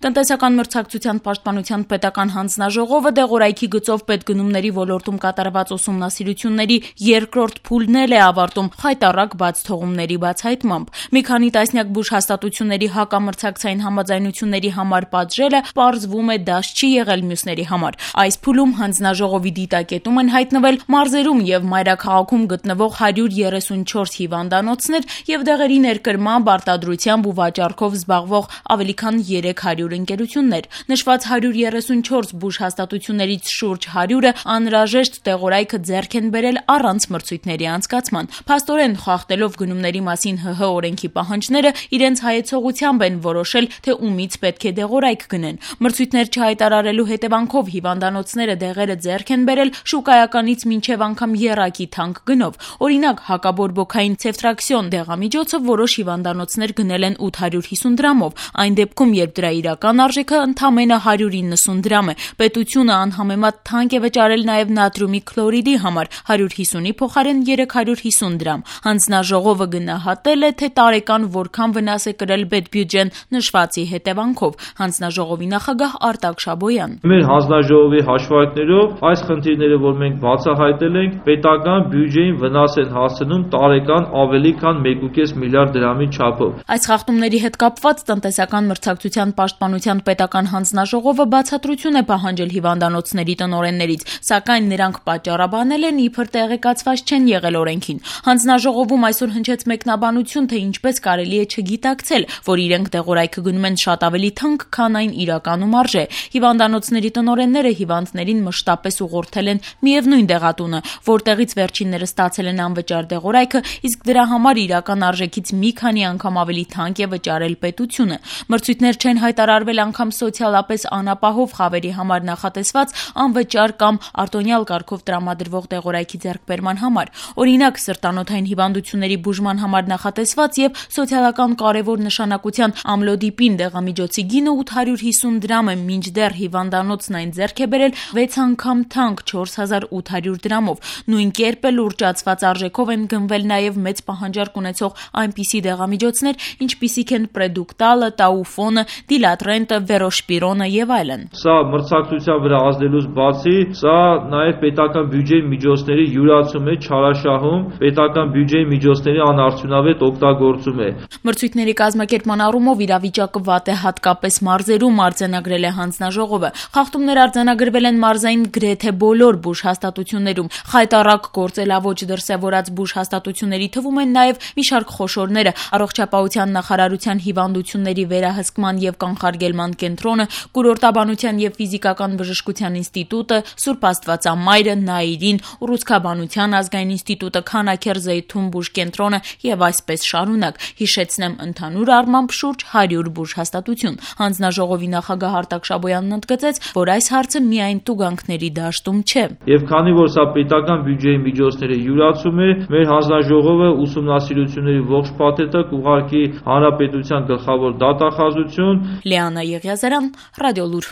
Տնտեսական մրցակցության պաշտպանության պետական հանձնաժողովը դեղորայքի գծով պետգնումների ոլորտում կատարված ուսումնասիրությունների երկրորդ փուլն է ավարտում խայտառակ բաց թողումների բացահայտմամբ։ Մի քանի տասնյակ բուժհաստատությունների հակամրցակցային համաձայնությունների համար պատժելը պարզվում է դաշ չի եղել մյուսների համար։ Այս փուլում հանձնաժողովի դիտակետում են հայտնվել մարզերում եւ մայրաքաղաքում գտնվող 134 հիվանդանոցներ եւ դեղերի ներկրմամբ, արտադրությամբ ու վաճառքով զբաղվող ավելի քան 300 ընկերություններ։ Նշված 134 բուժհաստատություններից շուրջ 100-ը անհրաժեշտ դեղորայքը ձեռք են բերել առանց մրցույթների անցկացման։ Փաստորեն, խախտելով գնումների մասին ՀՀ օրենքի պահանջները, իրենց հայեցողությամբ են որոշել, թե ումից պետք է դեղորայք գնեն։ Մրցույթներ չհայտարարելու հետևանքով հիվանդանոցները դեղերը ձեռք են բերել շուկայականից մինչև անգամ եռակի թանկ գնով։ Օրինակ, հակաբորբոքային ցեֆտրաքսիոն դեղամիջոցը որոշ հիվանդանոցներ գնել են 850 դրամով, այն դեպքում, երբ դրա իրական արժեքը ընդամենը 190 դրամ է։ Պետությունը անհամեմատ թանկ է վճարել նաև նատրիումի քլորիդի համար 150-ի փոխարեն 350 դրամ։ Հանձնաժողովը գնահատել է, թե տարեկան որքան վնաս է կրել պետբյուջեն նշվածի հետևանքով։ Հանձնաժողովի նախագահ Արտակ Շաբոյան: Մեր հանձնաժողովի հաշվարկներով այս խնդիրները, որ մենք բացահայտել ենք, պետական բյուջեին վնաս են հասցնում տարեկան ավելի քան 1.5 միլիարդ դրամի չափով։ Այս խախտումների հետ կապված տնտեսական մրցակցության պաշտպանության պետական հանձնաժողովը բացատրություն է պահանջել հիվանդանոցների տնօրեններից, սակայն նրանք պատճառաբանել են, իբր տեղեկացված չեն եղել օրենքին։ Հանձնաժողովում այսօր հնչեց մեկնաբանություն, թե ինչպես կարելի է չգիտակցել, որ իրենք դեղորայքը գնում են շատ ավելի թանկ, քան այն իրականում արժե։ Հիվանդանոցների տնօրենները հիվանդներին մշտապես ուղղորդել են միևնույն դեղատունը, որտեղից վերջինները ստացել են անվճար դեղորայքը, իսկ դրա համար իրական արժեքից մի քանի անգամ ավելի թանկ է վճարել պետությունը։ Մրցույթներ չեն հայտարարվել անգամ սոցիալապես անապահով խավերի համար նախատեսված անվճար կամ արտոնյալ կարգով տրամադրվող դեղորայքի ձեռքբերման համար։ Օրինակ, սրտանոթային հիվանդությունների բուժման համար նախատեսված եւ սոցիալական կարևոր նշանակության ամլոդիպին դեղամիջոցի գինը 850 դրամ է, մինչդեռ հիվանդանոցն այն ձեռք է բերել 6 անգամ թանկ 4800 դրամով։ Նույն կերպ էլ ուռճացված արժեքով են գնվել նաեւ մեծ պահանջարկ ունեցող այնպիսի դեղամիջոցներ, ինչպիսիք են Պրեդուկտալը, Տաուֆոնը, Դիլատրենտը, Վերոշպիրոնը եւ այլն։ Սա մրցակցության վրա ազդելուց բացի, սա նաեւ պետական բյուջեի միջոցների յուրացում է, չարաշահում, պետական բյուջեի միջոցների անարդյունավետ օգտագործում է։ Մրցույթների կազմակերպման առումով իրավիճակը վատ է հատկապես մարզերում, արձանագրել է հանձնաժողովը։ Խախտումներ արձանագրվել են մարզային գրեթե բոլոր բուժհաստատություններում։ Խայտառակ գործելավոճ դրսևորած բուժհաստատությունների թվում են նաև մի շարք խոշորները՝ Առողջապահության նախարարության հիվանդությունների վերահսկման եւ կանխարգելման կենտրոնը, Կուրորտաբանության եւ ֆիզիկական բժշկության ինստիտուտը, Սուրբ Աստվածամայրը, Նայիրին, Ուռուցքաբանության ազգային ինստիտուտը, Քանաքեր Զեյթուն բուժկենտրոնը եւ այսպես շարունակ։ Հիշեցնեմ, ընդհանուր առմամբ շուրջ 100 բուժհաստատություն։ Հանձնաժողովի նախագահ Արտակ Շաբոյանն ընդգծեց, որ այս հարցը միայն տուգանքների դաշտում չէ։ Եվ քանի որ սա պետական բյուջեի միջոցների յուրացում է, մեր հանձնաժողովը ուսումնասիրությունների ողջ փաթեթը կուղարկի հանրապետության գլխավոր դատախազություն։ Լիանա Եղիազարյան, Ռադիոլուր։